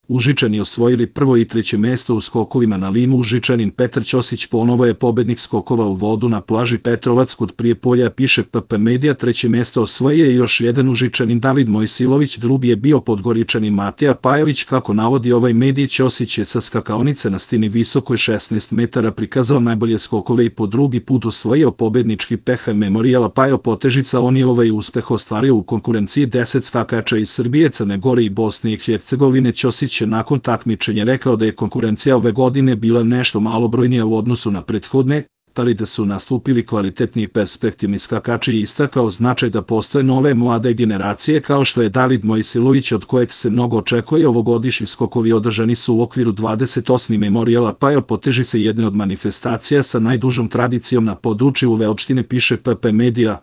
Užičani osvojili prvo i treće mesto u skokovima na limu. Užičanin Petar Ćosić ponovo je pobednik skokova u vodu na plaži Petrovac kod Prijepolja, piše PP Medija. Treće mesto osvojio je još jedan Užičanin David Mojsilović, drugi je bio Podgoričanin Mateja Pajović. Kako navodi ovaj medij, Ćosić je sa skakaonice na stini visokoj 16 metara prikazao najbolje skokove i po drugi put osvojio pobednički peh Memorijala Pajo Potežica. On je ovaj uspeh ostvario u konkurenciji 10 skakača iz Srbije, Crne Gore i Bosne i Hercegovine. Ćosić je nakon takmičenja rekao da je konkurencija ove godine bila nešto malobrojnija u odnosu na prethodne, ali da su nastupili kvalitetni i perspektivni skakači i istakao značaj da postoje nove mlade generacije kao što je David Mojsilović, od kojeg se mnogo očekuje. Ovogodišnji skokovi održani su u okviru 28. Memorijala Pajo Potežice, jedne od manifestacija sa najdužom tradicijom na području ove opštine, piše PP Medija.